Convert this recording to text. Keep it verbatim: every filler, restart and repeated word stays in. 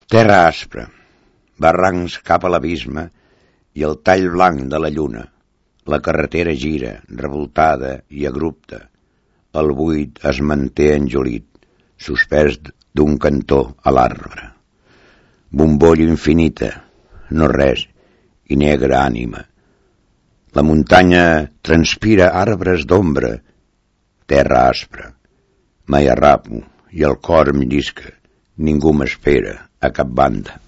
Terra aspra, barrancs cap a l'abisme i el tall blanc de la lluna. La carretera gira, revoltada i abrupta. El buit es manté enjolit, suspès d'un cantó a l'arbre. Bombolla infinita, no res, i negra ànima. La muntanya transpira arbres d'ombra, terra aspra. Mai arrapo i el cor em llisca. Ningú m'espera a cap banda.